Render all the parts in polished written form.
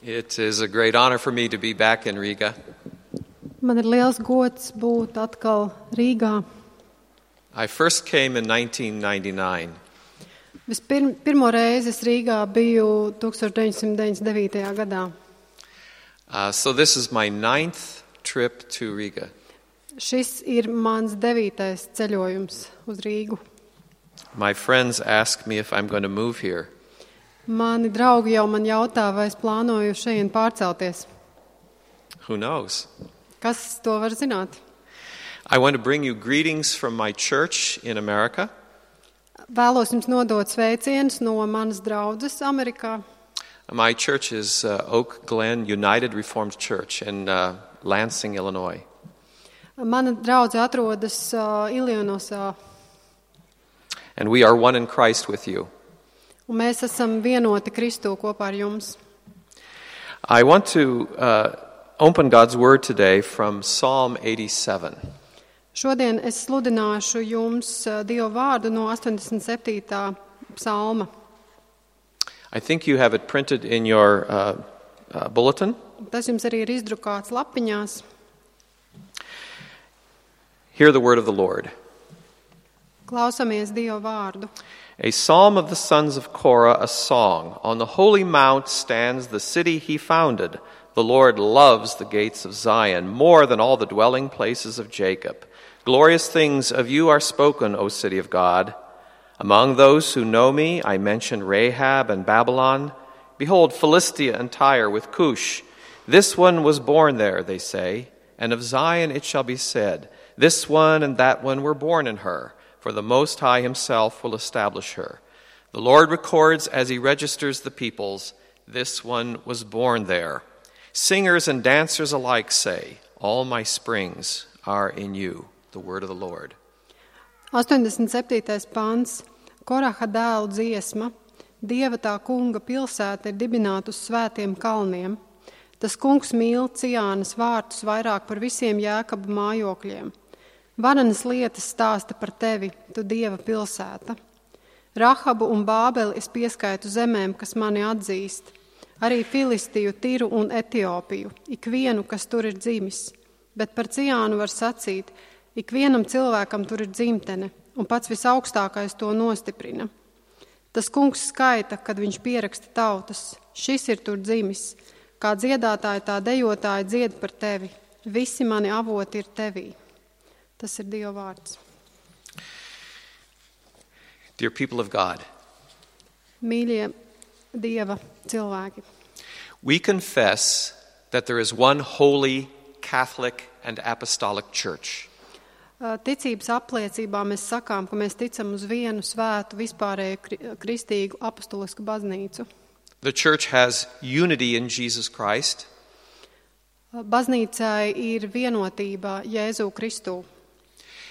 It is a great honor for me to be back in Riga. Man ir liels gods būt atkal Rīgā. I first came in 1999. Pirmo reizi es Rīgā biju 1999. gadā. So this is my 9th trip to Riga. Šis ir mans 9. ceļojums uz Rīgu. My friends ask me if I'm going to move here. Mani draugi jau man jautā, vai es plānoju šeit pārcelties. Who knows? Kas to var zināt? I want to bring you greetings from my church in America. Vēlos jums nodot sveicienus no manas draudzes Amerikā. My church is Oak Glen United Reformed Church in Lansing, Illinois. Mana draudze atrodas Ilionosā. And we are one in Christ with you. Un mēs esam vienoti Kristū kopā ar jums. I want to open God's Word today from Psalm 87. Šodien es sludināšu jums Dieva vārdu no 87. psalma. I think you have it printed in your bulletin. Tas jums arī ir izdrukāts lapiņās. Hear the word of the Lord. Klausamies Dieva vārdu. A psalm of the sons of Korah, a song. On the holy mount stands the city he founded. The Lord loves the gates of Zion more than all the dwelling places of Jacob. Glorious things of you are spoken, O city of God. Among those who know me, I mention Rahab and Babylon. Behold, Philistia and Tyre with Cush. This one was born there, they say, and of Zion it shall be said, this one and that one were born in her. For the Most High himself will establish her. The Lord records as he registers the peoples, this one was born there. Singers and dancers alike say, all my springs are in you. The word of the Lord. 87. pants. Koraha dēlu dziesma. Dieva tā kunga pilsēta ir dibināta uz svētiem kalniem. Tas kungs mīl Ciānas vārtus vairāk par visiem Jēkaba mājokļiem. Varenas lietas stāsta par tevi, tu Dieva pilsēta. Rahabu un Bābeli es pieskaitu zemēm, kas mani atzīst. Arī Filistiju, Tiru un Etiopiju, ikvienu, kas tur ir dzimis. Bet par Ciānu var sacīt, ikvienam cilvēkam tur ir dzimtene, un pats visaugstākais to nostiprina. Tas kungs skaita, kad viņš pieraksta tautas. Šis ir tur dzimis. Kā dziedātāji, tā dejotāji dzied par tevi. Visi mani avoti ir tevī. Tas ir Dieva vārds. Dear people of God, Mīļie Dieva cilvēki, we confess that there is one holy, Catholic, and apostolic church. Ticības apliecībā mēs sakām, ka mēs ticam uz vienu svētu, vispārēju kristīgu apostolisku baznīcu. The church has unity in Jesus Christ. Baznīcai ir vienotība Jēzu Kristū.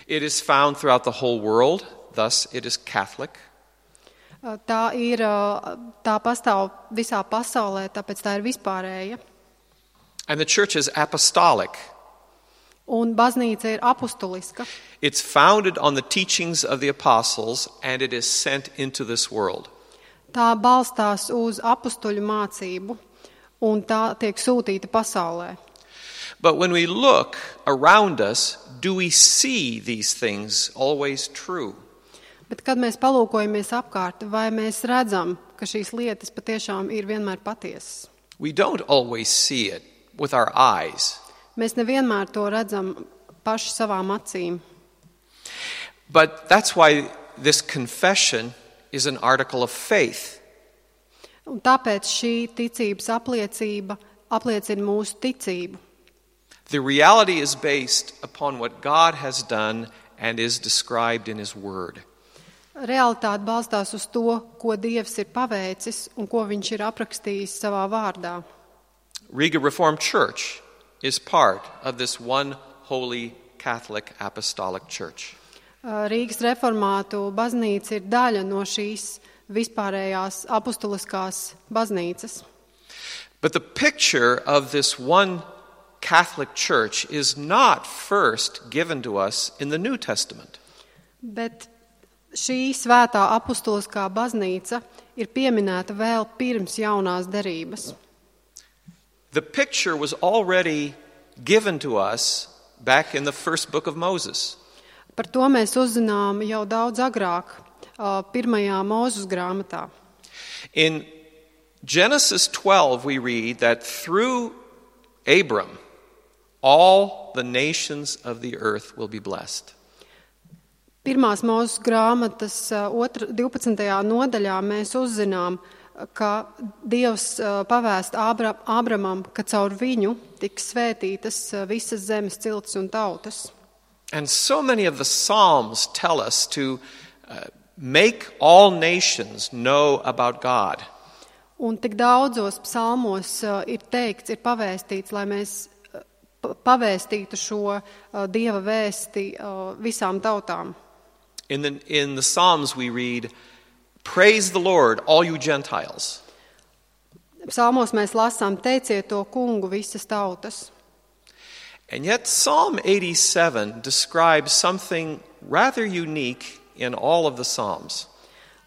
It is found throughout the whole world, thus it is Catholic. Tā pastāv visā pasaulē, tāpēc tā ir vispārēja. And the church is apostolic. Un baznīca ir apostoliska. It's founded on the teachings of the apostles and it is sent into this world. Tā balstās uz apostoļu mācību un tā tiek sūtīta pasaulē. But when we look around us, do we see these things always true? Bet kad mēs palūkojamies apkārt, vai mēs redzam, ka šīs lietas patiešām ir vienmēr patiesas? We don't always see it with our eyes. Mēs nevienmēr to redzam paši savām acīm. But that's why this confession is an article of faith. Un tāpēc šī ticības apliecība apliecina mūsu ticību. The reality is based upon what God has done and is described in His Word. Realitāte balstās uz to, ko Dievs ir paveicis un ko viņš ir aprakstījis savā vārdā. Riga Reformed Church is part of this one holy Catholic apostolic church. Rīgas reformātu baznīca ir daļa no šīs vispārējās apostoliskās baznīcas. But the picture of this one Catholic church is not first given to us in the New Testament. Bet šī svētā apostoliskā baznīca ir pieminēta vēl pirms jaunās derības. The picture was already given to us back in the first book of Moses. Par to mēs uzzinām jau daudz agrāk, pirmajā Mūzes grāmatā. In Genesis 12, we read that through Abram, all the nations of the earth will be blessed. Pirmās Mūzes grāmatas 12. nodaļā mēs uzzinām, ka Dievs pavēst Ābramam, ka caur viņu tiks svētītas visas zemes ciltis un tautas. And so many of the Psalms tell us to make all nations know about God. Un tik daudzos psalmos ir teikts, ir pavēstīts, lai mēs pavēstītu šo Dieva vēsti visām tautām. In the Psalms we read, "Praise the Lord, all you Gentiles." Psalmos mēs lasām, teiciet to kungu visas tautas. And yet Psalm 87 describes something rather unique in all of the Psalms.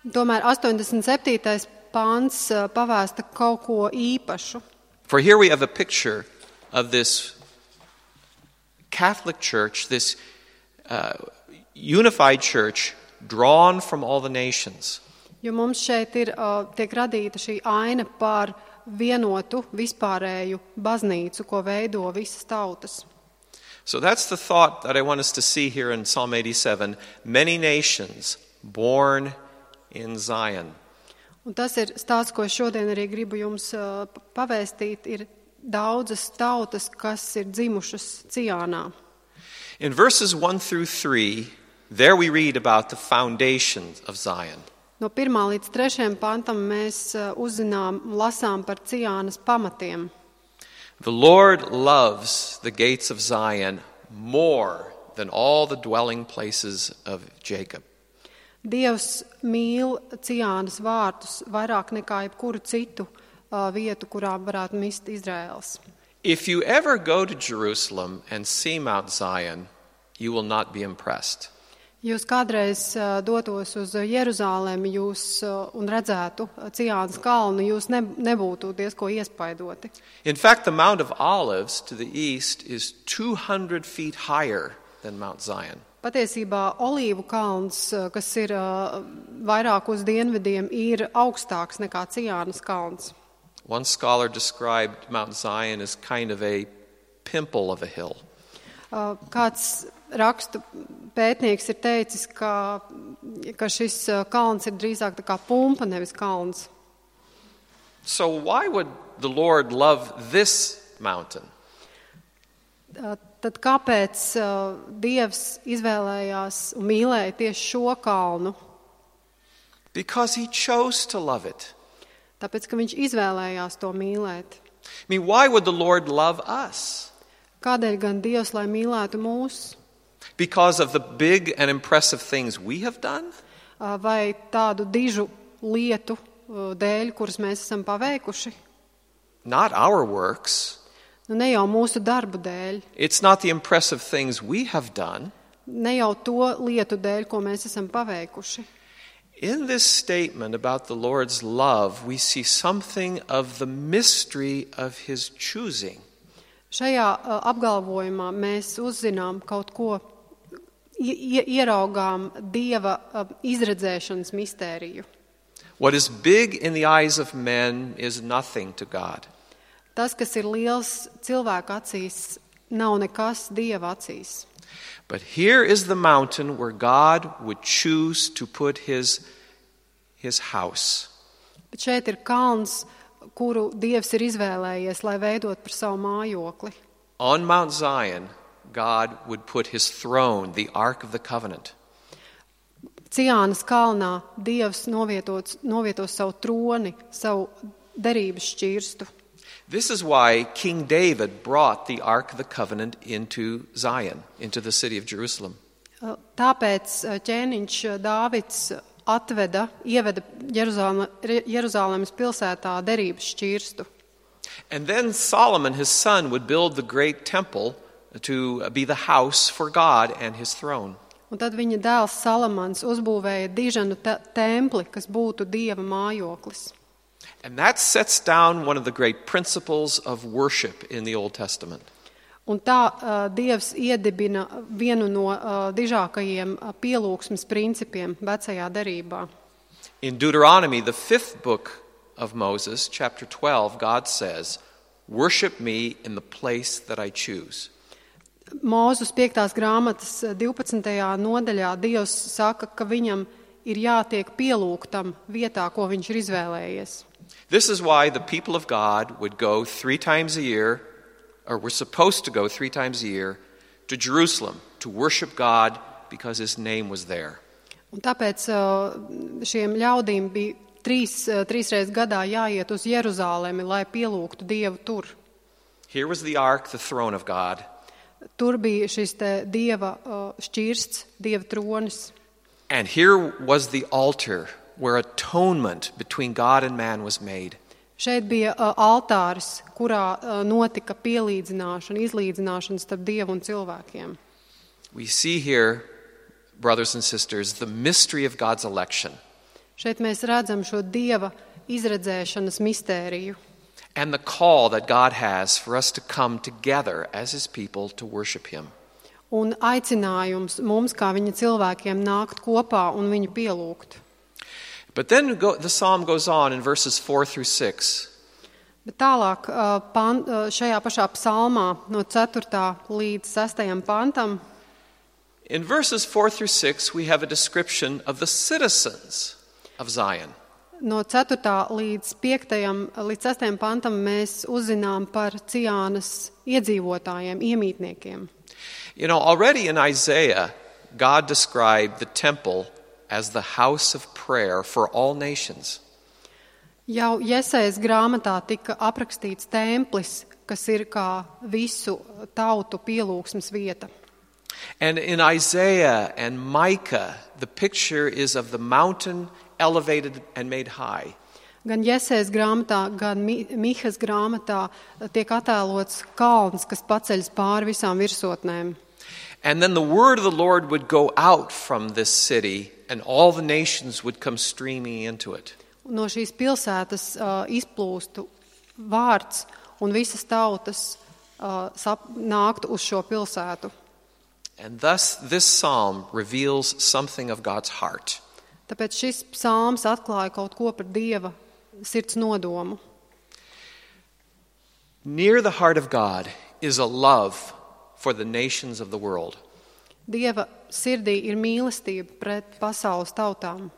Tomēr 87. pāns pavēsta kaut ko īpašu. For here we have a picture of this Catholic Church, this unified church drawn from all the nations. Jo mums šeit tiek radīta šī aina par vienotu, vispārēju baznīcu, ko veido visas tautas. So that's the thought that I want us to see here in Psalm 87. Many nations born in Zion. Un tas ir stāsts, ko šodien arī gribu jums pavēstīt, ir daudzas tautas, kas ir dzimušas Ciānā. In verses 1 through 3, there we read about the foundations of Zion. No 1. līdz 3. pantam mēs lasām par Ciānas pamatiem. The Lord loves the gates of Zion more than all the dwelling places of Jacob. Dievs mīl Ciānas vārtus vairāk nekā jebkuru citu vietu, kurā varētu mist Izraels. If you ever go to Jerusalem and see Mount Zion, you will not be impressed. Jūs kādreiz dotos uz Jeruzālemi un redzētu Ciānas kalnu, jūs nebūtu diezko iespaidoti. In fact, the Mount of Olives to the east is 200 feet higher than Mount Zion. Patiesībā Olīvu kalns, kas ir vairāk uz dienvidiem, ir augstāks nekā Ciānas kalns. One scholar described Mount Zion as kind of a pimple of a hill. Kāds rakstu pētnieks ir teicis, ka šis kalns ir drīzāk tā kā pumpa, nevis kalns. So why would the Lord love this mountain? Tad kāpēc Dievs izvēlējās un mīlēja tieši šo kalnu? Because he chose to love it. Tāpēc, ka viņš izvēlējās to mīlēt. I mean, why would the Lord love us? Kādēļ gan Dievs, lai mīlētu mūs? Because of the big and impressive things we have done? Vai tādu dižu lietu dēļ, kuras mēs esam paveikuši? Not our works. Nu, ne jau mūsu darbu dēļ. It's not the impressive things we have done. Ne jau to lietu dēļ, ko mēs esam paveikuši. In this statement about the Lord's love, we see something of the mystery of his choosing. Šajā apgalvojumā mēs uzzinām kaut ko, ieraugām Dieva izredzēšanas mistēriju. What is big in the eyes of men is nothing to God. Tas, kas ir liels cilvēku acīs, nav nekas Dieva acīs. But here is the mountain where God would choose to put his house. Bet šeit ir kalns, kuru Dievs ir izvēlējies, lai veidot par savu mājokli. On Mount Zion, God would put his throne, the Ark of the Covenant. Ciānas kalnā Dievs novietos savu troni, savu derības šķirstu. This is why King David brought the Ark of the Covenant into Zion, into the city of Jerusalem. Tāpēc ķēniņš Dāvids ieveda Jeruzālēmas pilsētā derības šķirstu. And then Solomon, his son, would build the great temple to be the house for God and his throne. Un tad viņa dēls Salamans uzbūvēja diženu templi, kas būtu Dieva mājoklis. And that sets down one of the great principles of worship in the Old Testament. Un tā Dievs iedibina vienu no dižākajiem pielūgsmes principiem vecajā derībā. In Deuteronomy, the 5th book of Moses, chapter 12, God says, "Worship me in the place that I choose." Mūzus 5. grāmatas 12. nodaļā Dievs saka, ka viņam ir jātiek pielūgtam vietā, ko viņš ir izvēlējies. This is why the people of God would go 3 times a year, or were supposed to go 3 times a year, to Jerusalem to worship God because His name was there. Un tāpēc šiem ļaudīm bija trīs reizes gadā jāiet uz Jeruzālemi, lai pielūgtu Dievu tur. Here was the ark, the throne of God. Tur bija šis te Dieva šķirsts, Dieva tronis. And here was the altar where atonement between God and man was made. Šeit bija altāris, kurā notika pielīdzināšana, izlīdzināšana starp Dievu un cilvēkiem. We see here, brothers and sisters, the mystery of God's election. Šeit mēs redzam šo Dieva izredzēšanas mistēriju. And the call that God has for us to come together as His people to worship Him. Un aicinājums mums, kā viņa cilvēkiem, nākt kopā un viņu pielūgt. But then the psalm goes on in verses 4 through 6. Bet tālāk šajā pašā psalmā no 4. līdz 6. pantam. In verses 4 through 6 we have a description of the citizens of Zion. No 4. līdz 5. līdz 6. pantam mēs uzzinām par Ciānas iedzīvotājiem, iemītniekiem. You know, already in Isaiah, God described the temple as the house of prayer for all nations. Jau Jesajas grāmatā tika aprakstīts templis, kas ir kā visu tautu pielūgsmes vieta. And in Isaiah and Micah, the picture is of the mountain elevated and made high. Gan Jesajas grāmatā, gan Mihas grāmatā tiek attēlots kalns, kas paceļas pāri visām virsotnēm. And then the word of the Lord would go out from this city, and all the nations would come streaming into it. No šīs pilsētas izplūstu vārds, un visas tautas nāktu uz šo pilsētu. And thus this psalm reveals something of God's heart. Tāpēc šis psalms atklāja kaut ko par Dieva sirds nodomu. Near the heart of God is a love for the nations of the world. Dieva sirdī ir mīlestība pret pasaules tautām.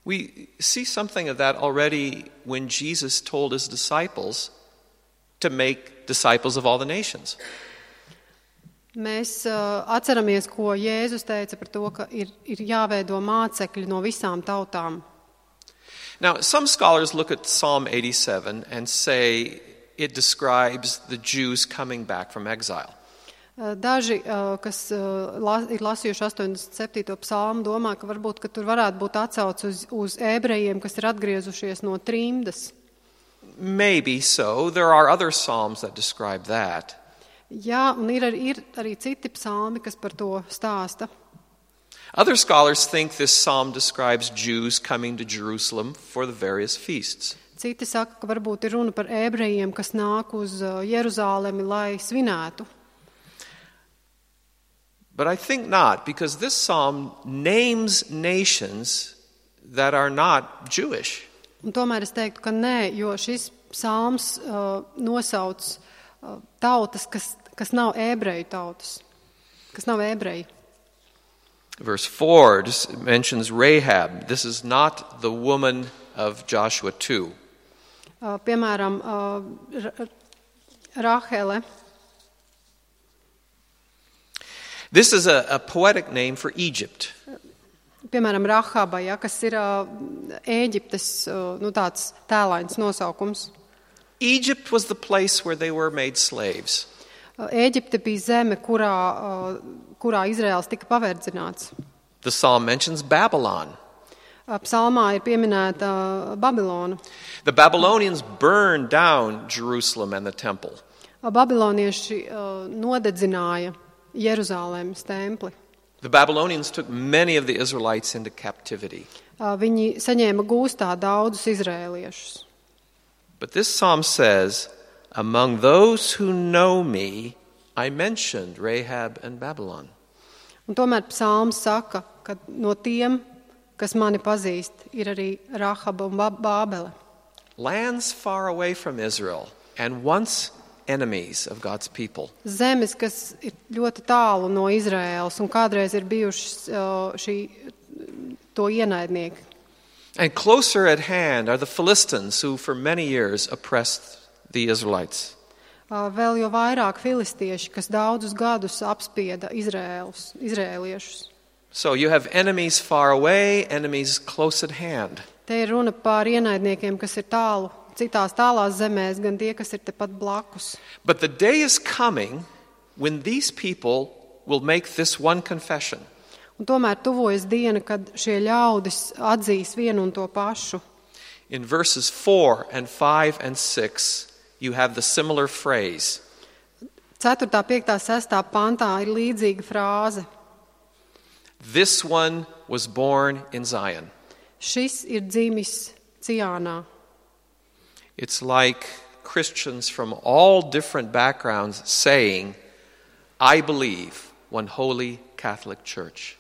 We see something of that already when Jesus told His disciples to make disciples of all the nations. Mēs atceramies, ko Jēzus teica par to, ka ir jāveido mācekļi no visām tautām. Now, some scholars look at Psalm 87 and say it describes the Jews coming back from exile. Daži, kas ir lasījuši 87. psalmu, domā, ka varbūt ka tur varētu būt atsauce uz ebrejiem, kas ir atgriezušies no trimdas. Maybe so. There are other psalms that describe that. Jā, un ir arī citi psalmi, kas par to stāsta. Other scholars think this psalm describes Jews coming to Jerusalem for the various feasts. Citi saka, ka varbūt ir runa par ebrejiem, kas nāk uz Jeruzālemi, lai svinētu. But I think not, because this psalm names nations that are not Jewish. Un tomēr es teiktu, ka nē, jo šis psalms nosauc tautas, kas nav ebreju tautas, kas nav ebreji. Verse 4 mentions Rahab. This is not the woman of Joshua 2. Piemēram, Rahele. This is a poetic name for Egypt. Piemēram, Rahaba, ja, kas ir Ēģiptes tāds tēlains nosaukums. Egypt was the place where they were made slaves. Ēģipte bija zeme, kurā Izraels tika paverdzināts. The psalm mentions Babylon. Psalmā ir pieminēta Babilona. The Babylonians burned down Jerusalem and the temple. Babilonieši nodedzināja Jeruzālēmas templi. The Babylonians took many of the Israelites into captivity. Viņi saņēma gūstā daudzus izrēliešus. But this psalm says, among those who know me, I mentioned Rahab and Babylon. Un tomēr psalms saka, ka no tiem, kas mani pazīst, ir arī Rahaba un Bābele. Lands far away from Israel and once enemies of God's people. Zemes, kas ir ļoti tālu no Izraēlas un kādreiz ir bijušas to ienaidnieki. And closer at hand are the Philistines who for many years oppressed the Israelites. Vēl jau vairāk filistieši, kas daudzus gadus apspieda izrēliešus. So you have enemies far away, enemies close at hand. Te ir runa par ienaidniekiem, kas ir tālu, citās tālās zemēs, gan tie, kas ir tepat blakus. But the day is coming when these people will make this one confession. Un tomēr tuvojas diena, kad šie ļaudis atzīs vienu un to pašu. In verses 4 and 5 and 6, you have the similar phrase. 4., 5., 6. pantā ir līdzīga frāze. This one was born in Zion. Šis ir dzimis Ciānā. It's like Christians from all different backgrounds saying, I believe one holy Catholic Church.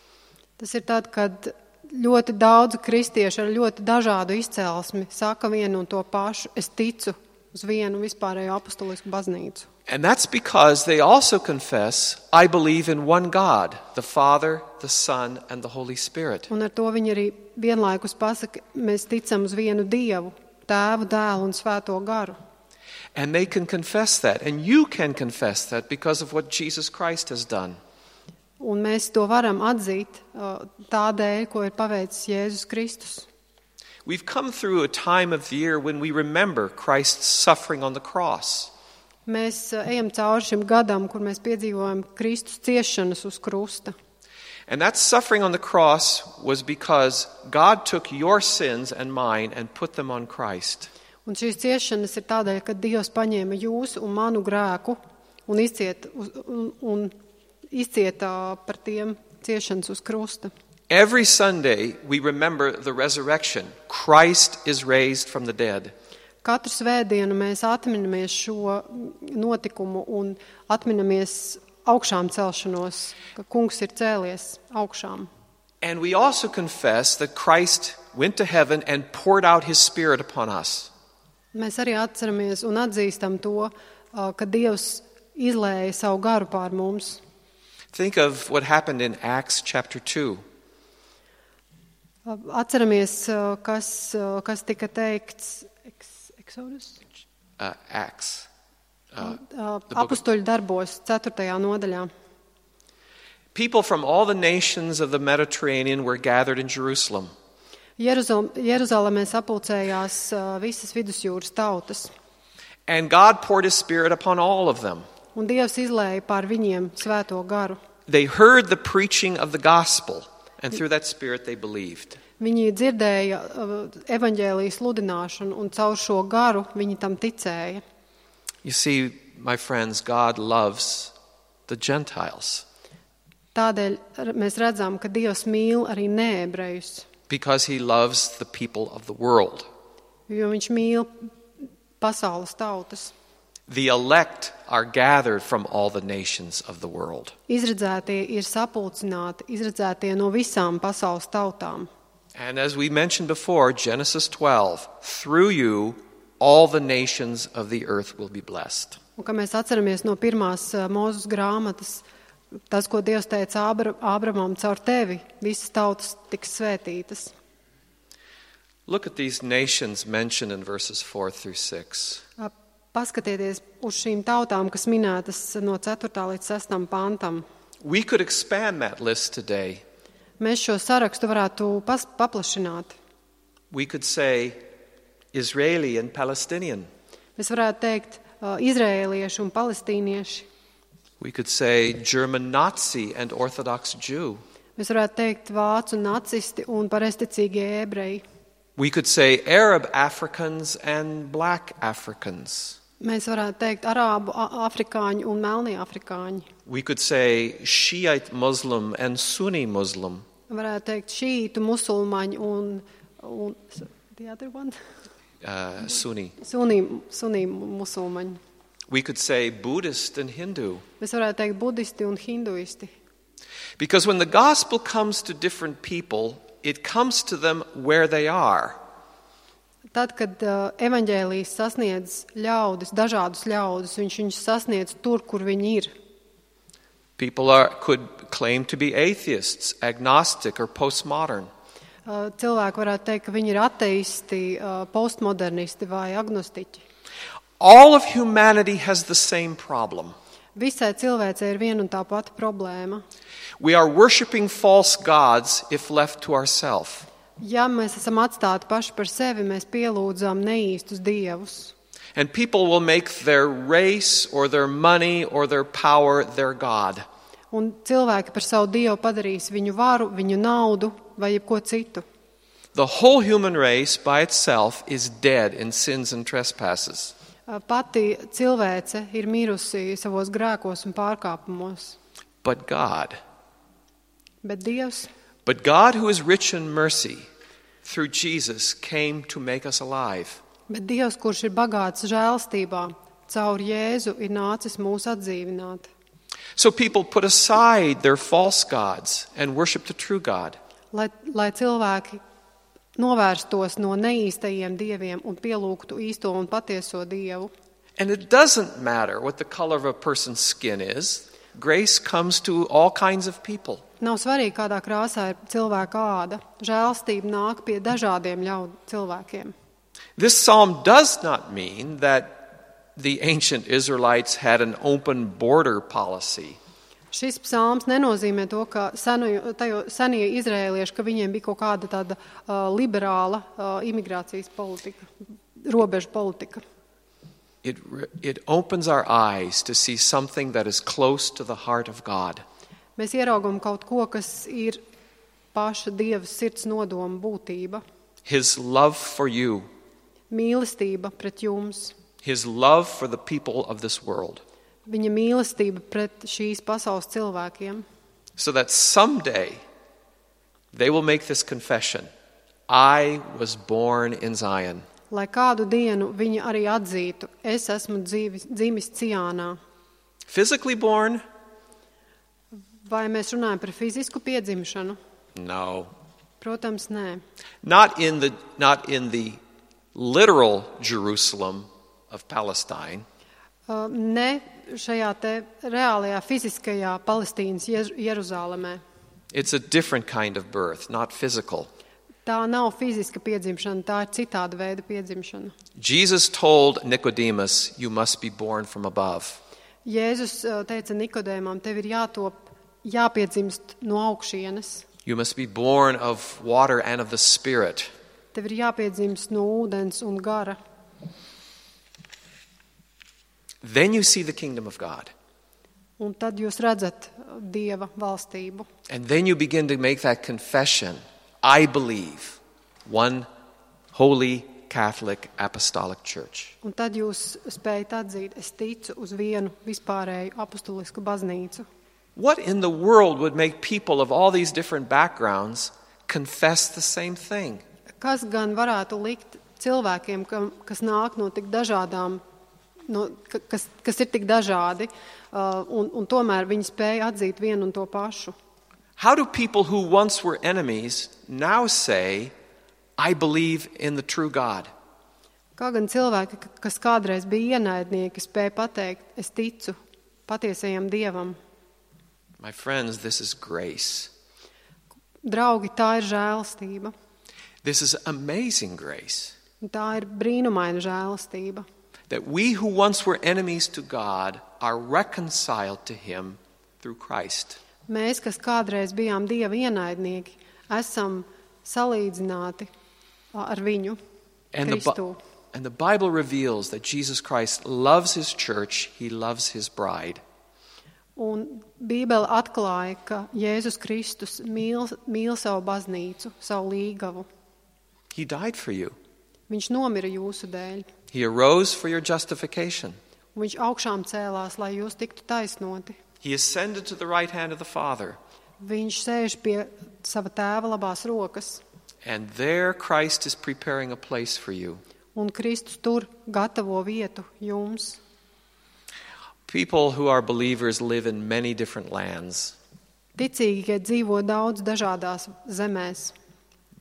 Tas ir tad, kad ļoti daudz kristiešu ar ļoti dažādu izcelsmi saka vienu un to pašu, es ticu uz vienu vispārējo apostolisku baznīcu. And that's because they also confess, I believe in one God, the Father, the Son, and the Holy Spirit. Un ar to viņi arī vienlaikus pasaka, mēs ticam uz vienu Dievu, Tēvu, Dēlu un Svēto garu. And they can confess that, and you can confess that because of what Jesus Christ has done. Un mēs to varam atzīt tādēļ, ko ir paveicis Jēzus Kristus. We've come through a time of the year when we remember Christ's suffering on the cross. Mēs ejam cauri šim gadam, kur mēs piedzīvojam Kristus ciešanas uz krusta. And that suffering on the cross was because God took your sins and mine and put them on Christ. Un šīs ciešanas ir tādēļ, ka Dievs paņēma jūsu un manu grēku un izcieta par tiem ciešanas uz krusta. Every Sunday we remember the resurrection. Christ is raised from the dead. Katru svētdienu mēs atminamies šo notikumu un atminamies augšām celšanos, ka kungs ir cēlies augšām. And we also confess that Christ went to heaven and poured out his Spirit upon us. Mēs arī atceramies un atzīstam to, ka Dievs izlēja savu garu pār mums. Think of what happened in Acts chapter 2. Atceramies, kas tika teikts Exodus? Acts. Apustuļu darbos, 4. nodaļā. People from all the nations of the Mediterranean were gathered in Jerusalem. Jeruzalemē sapulcējās visas vidusjūras tautas. And God poured his Spirit upon all of them. Un Dievs izlēja pār viņiem svēto garu. They heard the preaching of the gospel, and through that Spirit they believed. Viņi dzirdēja evaņģēlijas sludināšanu, un caur šo garu viņi tam ticēja. You see, my friends, God loves the Gentiles. Tādēļ mēs redzam, ka Dievs mīl arī neebrejus. Because he loves the people of the world. Jo viņš mīl pasaules tautas. The elect are gathered from all the nations of the world. Izredzētie ir sapulcināti, izredzētie no visām pasaules tautām. And as we mentioned before, Genesis 12, through you all the nations of the earth will be blessed. Un kā mēs atceramies no pirmās Mūzes grāmatas, tas, ko Dievs teica Ābramam, caur tevi visas tautas tiks svētītas. Look at these nations mentioned in verses 4 through 6. Paskatieties uz šīm tautām, kas minētas no 4. līdz 6. pantam. We could expand that list today. Mēs šo sarakstu varētu paplašināt. We could say Israeli and Palestinian. Mēs varētu teikt izraēlieši un palestīnieši. We could say German Nazi and Orthodox Jew. Mēs varētu teikt vācu nacisti un pareizticīgie ebreji. We could say Arab Africans and black Africans. Mēs varētu teikt arābu afrikāņi un melnie afrikāņi. We could say Shiite Muslim and Sunni Muslim. Varētu teikt šītu musulmaņi un the other one? Sunni. Sunī musulmaņi. We could say Buddhist and Hindu. Mēs varētu teikt budisti un hinduisti. Because when the gospel comes to different people, it comes to them where they are. Tad, kad evaņģēlijs sasniedz ļaudis, dažādus ļaudis, viņš viņus sasniedz tur, kur viņi ir. People could claim to be atheists, agnostic, or postmodern. Cilvēki varētu teikt, ka viņi ir ateisti, postmodernisti vai agnostiķi. All of humanity has the same problem. Visai cilvēcei ir viena un tā pati problēma. We are worshiping false gods if left to ourselves. Ja mēs esam atstāti paši par sevi, mēs pielūdzām neīstus dievus. And people will make their race or their money or their power their god. Un cilvēki par savu dievu padarīs viņu varu, viņu naudu vai jebko citu. The whole human race by itself is dead in sins and trespasses. Pati cilvēce ir mirusi savos grēkos un pārkāpumos. But God, Bet God who is rich in mercy, through Jesus came to make us alive. Bet Dievs, kurš ir bagāts žēlstībā, caur Jēzu ir nācis mūs atdzīvināt. So people put aside their false gods and worship the true God. Lai cilvēki novērstos no neīstajiem dieviem un pielūgtu īsto un patieso Dievu. And it doesn't matter what the color of a person's skin is. Grace comes to all kinds of people. Nav svarīgi, kādā krāsā ir cilvēka āda. Žēlstība nāk pie dažādiem cilvēkiem. This psalm does not mean that the ancient Israelites had an open border policy. Šis psalms nenozīmē to, ka senie izrēlieši, ka viņiem bija kaut kāda tāda liberāla imigrācijas politika, robežu politika. It opens our eyes to see something that is close to the heart of God. Mēs ieraugam kaut ko, kas ir paša Dieva sirds nodoma būtība. His love for you. Mīlestība pret jums. His love for the people of this world. Viņa mīlestība pret šīs pasaules cilvēkiem. So that someday they will make this confession. I was born in Zion. Lai kādu dienu viņi arī atzītu, es esmu dzimis Ciānā. Physically born? Vai mēs runājam par fizisku piedzimšanu? No. Protams, nē. Not in the literal Jerusalem of Palestine. Ne šajā te reālajā fiziskajā Palestīnas Jeruzālemē. It's a different kind of birth, not physical. Tā nav fiziska piedzimšana, tā ir citāda veida piedzimšana. Jesus told Nicodemus, you must be born from above. Jēzus teica Nikodēmam, tev ir jāpiedzimst no augšienes. You must be born of water and of the Spirit. Tev ir jāpiedzimst no ūdens un gara. Then you see the kingdom of God. Un tad jūs redzat Dieva valstību. And then you begin to make that confession. I believe one holy Catholic apostolic church. Un tad jūs spējat atzīt, es ticu uz vienu vispārēju apostolisku baznīcu. What in the world would make people of all these different backgrounds confess the same thing? Kas gan varētu likt cilvēkiem, kas nāk no tik dažādām, kas ir tik dažādi, un tomēr viņi spēja atzīt vienu un to pašu? How do people who once were enemies now say, I believe in the true God? Kā gan cilvēki, kas kādreiz bija ienaidnieki, spēja pateikt, es ticu patiesajam Dievam? My friends, this is grace. Draugi, tā ir žēlastība. This is amazing grace. Tā ir brīnumaina žēlastība. That we who once were enemies to God are reconciled to Him through Christ. Mēs, kas kādreiz bijām Dieva ienaidnieki, esam salīdzināti ar viņu, Kristu. And the Bible reveals that Jesus Christ loves His church, He loves His bride. Un Bībele atklāja, ka Jēzus Kristus mīl savu baznīcu, savu līgavu. He died for you. Viņš nomira jūsu dēļ. He arose for your justification. Un viņš augšām cēlās, lai jūs tiktu taisnoti. He ascended to the right hand of the Father. Viņš sēž pie sava tēva labās rokas. And there Christ is preparing a place for you. un Kristus tur gatavo vietu jums. People who are believers live in many different lands, Ticīgie dzīvo daudz dažādās zemēs,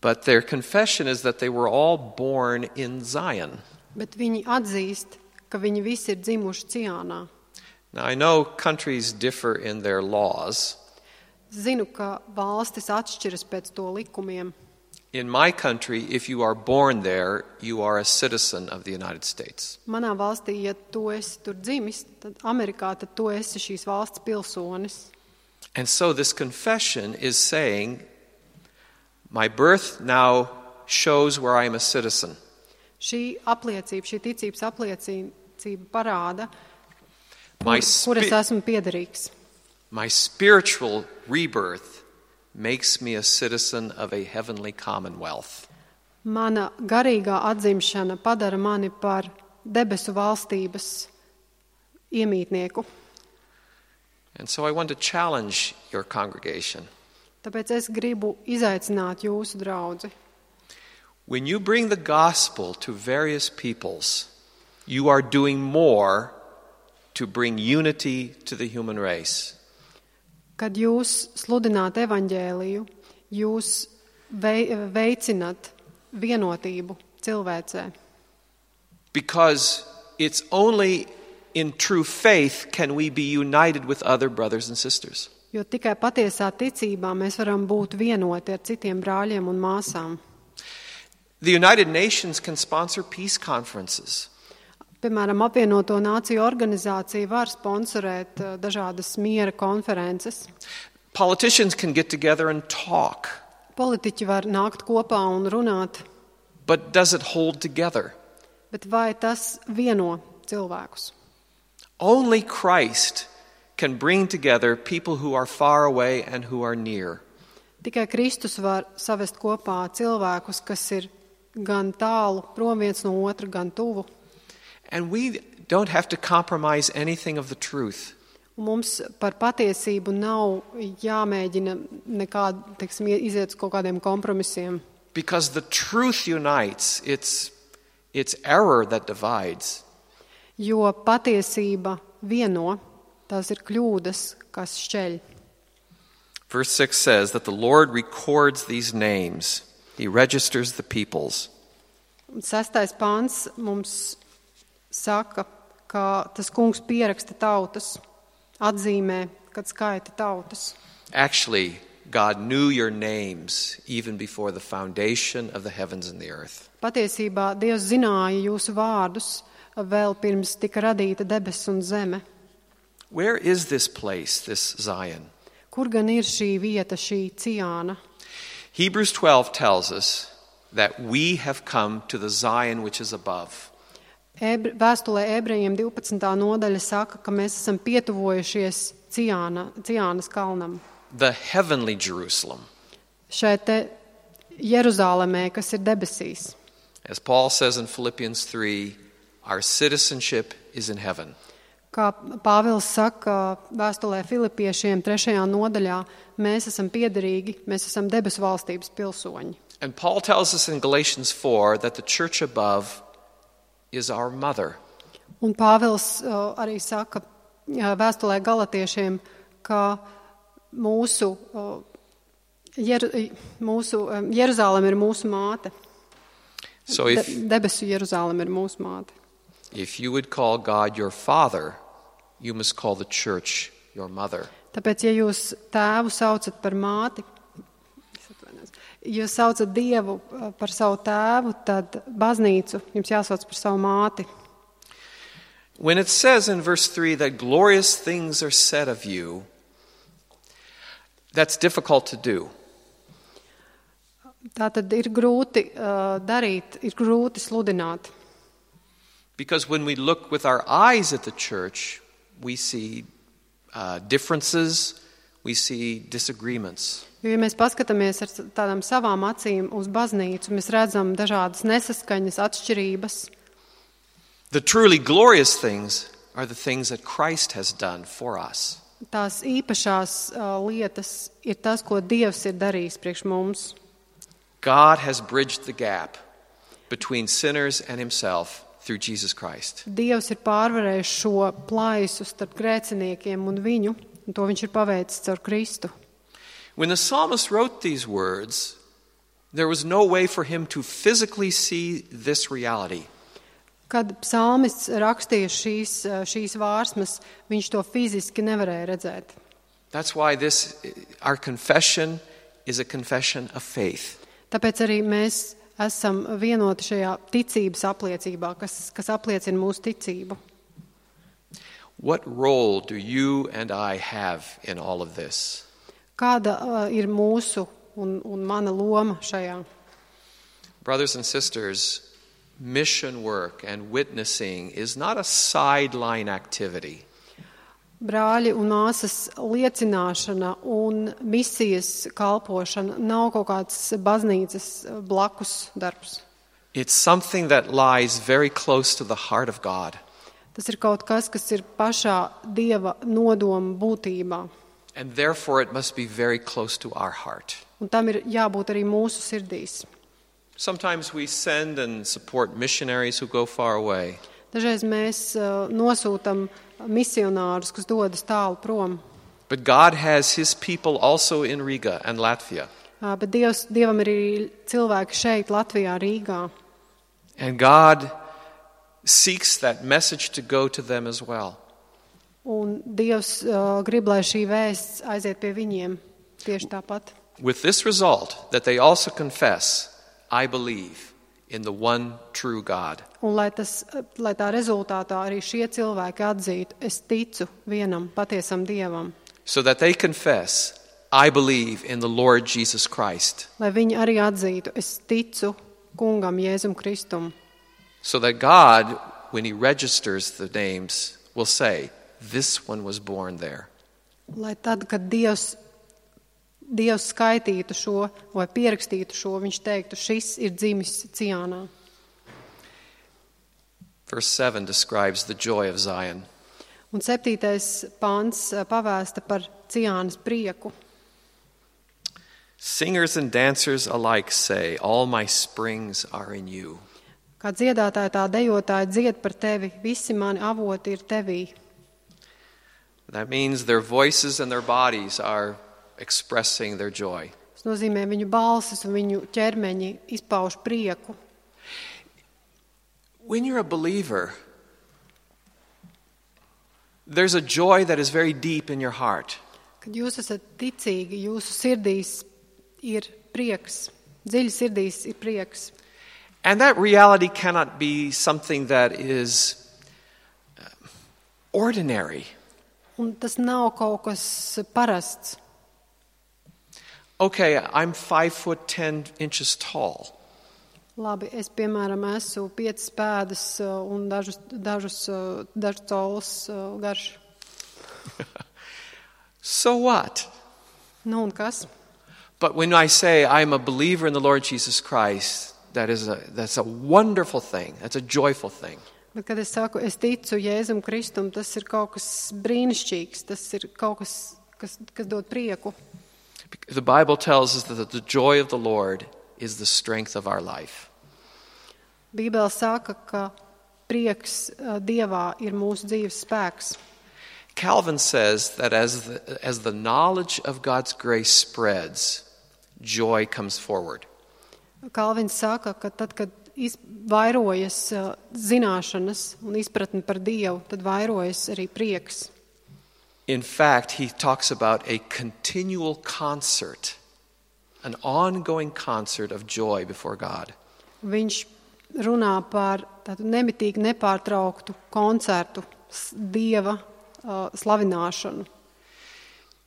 but their confession is that they were all born in Zion. bet viņi atzīst, ka viņi visi ir dzimuši Ciānā. Now, I know countries differ in their laws. Zinu, ka valstis atšķiras pēc to likumiem. In my country, if you are born there, you are a citizen of the United States. Manā valstī, ja tu esi tur dzimis, tad Amerikā, tad tu esi šīs valsts pilsonis. And so this confession is saying, my birth now shows where I am a citizen. Šī apliecība, šī ticības apliecība parāda, My, kur es esmu piederīgs. my spiritual rebirth makes me a citizen of a heavenly commonwealth. Mana garīgā atzimšana padara mani par debesu valstības iemītnieku. And so I want to challenge your congregation. Tāpēc es gribu izaicināt jūsu draudzi. When you bring the gospel to various peoples, you are doing more to bring unity to the human race. Kad jūs sludināt evaņģēliju, jūs veicināt vienotību cilvēcē. Because it's only in true faith can we be united with other brothers and sisters. Jo tikai patiesā ticībā mēs varam būt vienoti ar citiem brāļiem un māsām. The United Nations can sponsor peace conferences. Piemēram, apvienoto nāciju organizācija var sponsorēt dažādas miera konferences. Politicians can get together and talk. Politiķi var nākt kopā un runāt, But does it hold together? bet vai tas vieno cilvēkus? Only Christ can bring together people who are far away and who are near. Tikai Kristus var savest kopā cilvēkus, kas ir gan tālu, prom viens no otra, gan tuvu. And we don't have to compromise anything of the truth. Un mums par patiesību nav jāmēģina nekād, teiksim, iziet uz kaut kādiem kompromisiem. Because the truth unites, it's error that divides. Jo patiesība vieno, tās ir kļūdas, kas šķeļ. Verse 6 says that the Lord records these names. He registers the peoples. 6. pāns mums saka, ka tas kungs pieraksta tautas, atzīmē, kad skaita tautas. Actually, God knew your names even before the foundation of the heavens and the earth. Patiesībā Dievs zināja jūsu vārdus vēl pirms tika radīta debesis un zeme. Where is this place, this Zion? Kur gan ir šī vieta, šī Ciāna? Hebrews 12 tells us that we have come to the Zion which is above. Vēstulē ebrejiem 12. nodaļa saka, ka mēs esam pietuvojušies Ciānas kalnam. The heavenly Jerusalem. Šeit te Jeruzālemē, kas ir debesīs. As Paul says in Philippians 3, our citizenship is in heaven. Kā Pāvils saka vēstulē Filipiešiem 3. nodaļā, mēs esam piederīgi, mēs esam debesu valstības pilsoņi. And Paul tells us in Galatians 4 that the church above is our mother. Un Pāvils arī saka vēstulē Galatiešiem, ka mūsu Jeruzāleme ir mūsu māte. So if Debesu Jeruzāleme ir mūsu māte. you would call God your father, you must call the church your mother. Tāpēc, ja jūs tēvu saucat par māti, ja jūs saucat Dievu par savu tēvu, tad baznīcu jums jāsauc par savu māti. When it says in verse 3 that glorious things are said of you, that's difficult to do. Tā tad ir grūti darīt, ir grūti sludināt. Because when we look with our eyes at the church, we see differences, we see disagreements. Jo, ja mēs paskatāmies ar tādām savām acīm uz baznīcu, mēs redzam dažādas nesaskaņas, atšķirības. The truly glorious things are the things that Christ has done for us. Tās īpašās lietas ir tas, ko Dievs ir darījis priekš mums. God has bridged the gap. between sinners and himself through Jesus Christ. Dievs ir pārvarējis šo plaisu starp grēciniekiem un viņu, un to viņš ir paveicis caur Kristu. When the psalmist wrote these words, there was no way for him to physically see this reality. Kad psalmists rakstīja šīs vārsmas, viņš to fiziski nevarēja redzēt. That's why our confession is a confession of faith. Tāpēc arī mēs esam vienoti šajā ticības apliecībā, kas apliecina mūsu ticību. What role do you and I have in all of this? Kāda ir mūsu un mana loma šajā? Brothers and sisters, mission work and witnessing is not a sideline activity. Brāļi un māsas, liecināšana un misijas kalpošana nav kaut kāds baznīcas blakus darbs. It's something that lies very close to the heart of God. Tas ir kaut kas ir pašā Dieva nodoma būtībā. And therefore it must be very close to our heart. Un tam ir jābūt arī mūsu sirdīs. Sometimes we send and support missionaries who go far away. Dažreiz mēs nosūtam misionārus, kas dodas tālu prom. But God has his people also in Riga and Latvia. Bet Dievam ir arī cilvēki šeit, Latvijā, Rīgā. And God seeks that message to go to them as well. Un Dievs grib, lai šī vēsts aiziet pie viņiem tieši tāpat. With this result, that they also confess, I believe in the one true God. Un lai tā rezultātā arī šie cilvēki atzītu, es ticu vienam patiesam Dievam. So that they confess, I believe in the Lord Jesus Christ. Lai viņi arī atzītu, es ticu kungam Jēzum Kristum. So that God, when he registers the names, will say, this one was born there. Lai tad, kad Dievs skaitītu šo vai pierakstītu šo, viņš teiktu, šis ir dzimis Ciānā. Verse 7 describes the joy of Zion. Un 7. pāns pavēsta par Ciānas prieku. Singers and dancers alike say, all my springs are in you. Kā dziedātāji tā dejotāji dzied par tevi, visi mani avoti ir tevī. That means their voices and their bodies are expressing their joy. Tas nozīmē, viņu balsis un viņu ķermeņi izpauž prieku. When you're a believer, there's a joy that is very deep in your heart. Kad jūs esat ticīgi, jūsu sirdīs ir prieks, dziļi sirdīs ir prieks. And that reality cannot be something that is ordinary. Un tas nav kaut kas parasts. Okay, I'm 5'10" tall. Labi, es, piemēram, esmu 5 pēdas un dažus colus garš. So what? Nu un kas? But when I say I'm a believer in the Lord Jesus Christ, that's a wonderful thing. That's a joyful thing. Bet, kad es saku, es ticu Jēzum Kristum, tas ir kaut kas brīnišķīgs, tas ir kaut kas dod prieku. The Bible tells us that the joy of the Lord is the strength of our life. Bībele saka, ka prieks Dievā ir mūsu dzīves spēks. Calvin says that as the knowledge of God's grace spreads, joy comes forward. Kalvins saka, ka tad, kad vairojas zināšanas un izpratne par Dievu, tad vairojas arī prieks. In fact, he talks about a continual concert, an ongoing concert of joy before God. Viņš runā par tādu nemitīgi nepārtrauktu koncertu Dieva slavināšanu.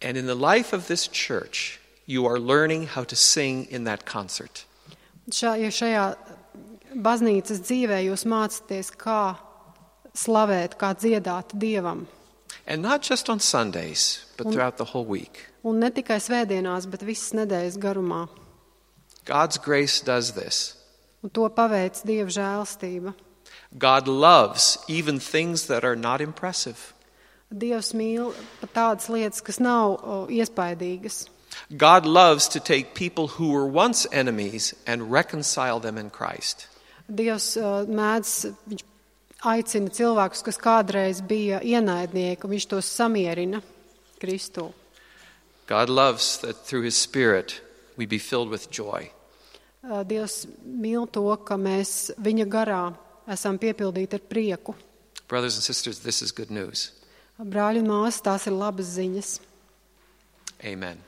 And in the life of this church, you are learning how to sing in that concert. Šajā baznīcas dzīvē jūs mācāties, kā slavēt, kā dziedāt Dievam. And not just on Sundays, but throughout the whole week. Un ne tikai svētdienās, bet visas nedēļas garumā. God's grace does this. Un to paveic Dieva žēlstība. God loves even things that are not impressive. Dievs mīl pat tādas lietas, kas nav iespaidīgas. God loves to take people who were once enemies and reconcile them in Christ. Dievs mēdz, viņš aicina cilvēkus, kas kādreiz bija ienaidnieki, un viņš tos samierina Kristū. God loves that through his Spirit we be filled with joy. Dievs mīl to, ka mēs viņa garā esam piepildīti ar prieku. Brothers and sisters, this is good news. Brāļi un māsas, tās ir labas ziņas. Amen.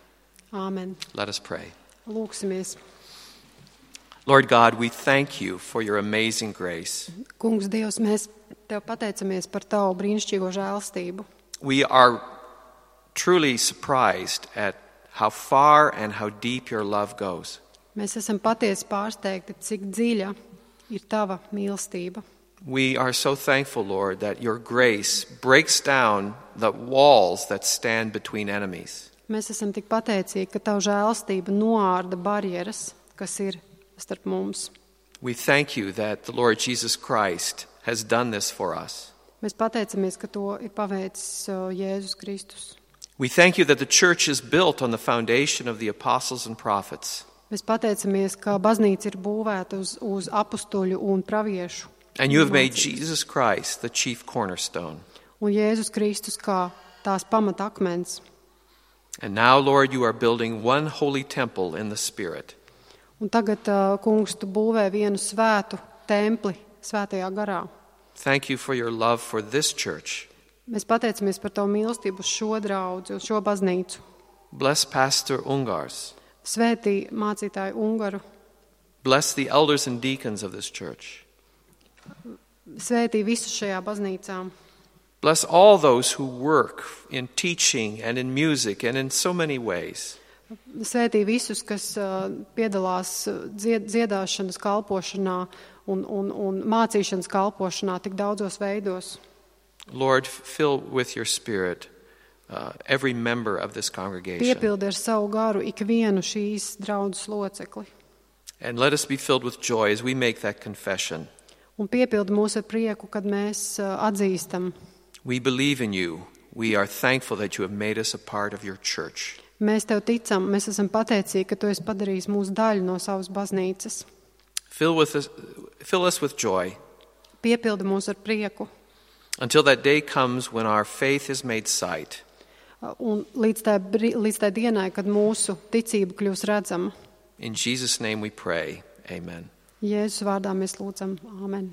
Āmen. Let us pray. Lūksimies. Lord God, we thank you for your amazing grace. Kungs Dievs, mēs tev pateicamies par tavu brīnišķīgo žēlstību. We are truly surprised at how far and how deep your love goes. Mēs esam patiesi pārsteigti, cik dziļa ir tava mīlestība. We are so thankful, Lord, that your grace breaks down the walls that stand between enemies. Mēs esam tik pateicīgi, ka tava žēlstība noārda barjeras, kas ir starp mums. We thank you that the Lord Jesus Christ has done this for us. Mēs pateicamies, ka to ir paveicis Jēzus Kristus. We thank you that the church is built on the foundation of the apostles and prophets. Mēs pateicamies, ka baznīca ir būvēta uz apustuļu un praviešu. And you have made Jesus Christ the chief cornerstone. Un Jēzus Kristus kā tās pamatakmens. And now, Lord, you are building one holy temple in the Spirit. Un tagad, kungs, tu būvē vienu svētu templi svētajā garā. Thank you for your love for this church. Mēs pateicamies par tavu mīlestību uz šo draudzi, uz šo baznīcu. Bless Pastor Ungars. Svētī mācītāju Ungaru. Bless the elders and deacons of this church. Svētī visus šajā baznīcā. Bless all those who work in teaching and in music and in so many ways. Svētī visus, kas piedalās dziedāšanas kalpošanā un mācīšanas kalpošanā tik daudzos veidos. Lord, fill with your Spirit every member of this congregation. Piepildi ar savu garu ikvienu šīs draudzes locekli. And let us be filled with joy as we make that confession. Un piepildi mūs ar prieku, kad mēs atzīstam. We believe in you. We are thankful that you have made us a part of your church. Mēs tev ticam, mēs esam pateicīgi, ka tu esi padarījis mūsu daļu no savas baznīcas. Fill us with joy. Piepildi mūs ar prieku. Until that day comes when our faith is made sight. Un līdz tai dienai, kad mūsu ticība kļūs redzama. In Jesus' name we pray. Amen. Jēzus vārdā mēs lūdzam. Āmen.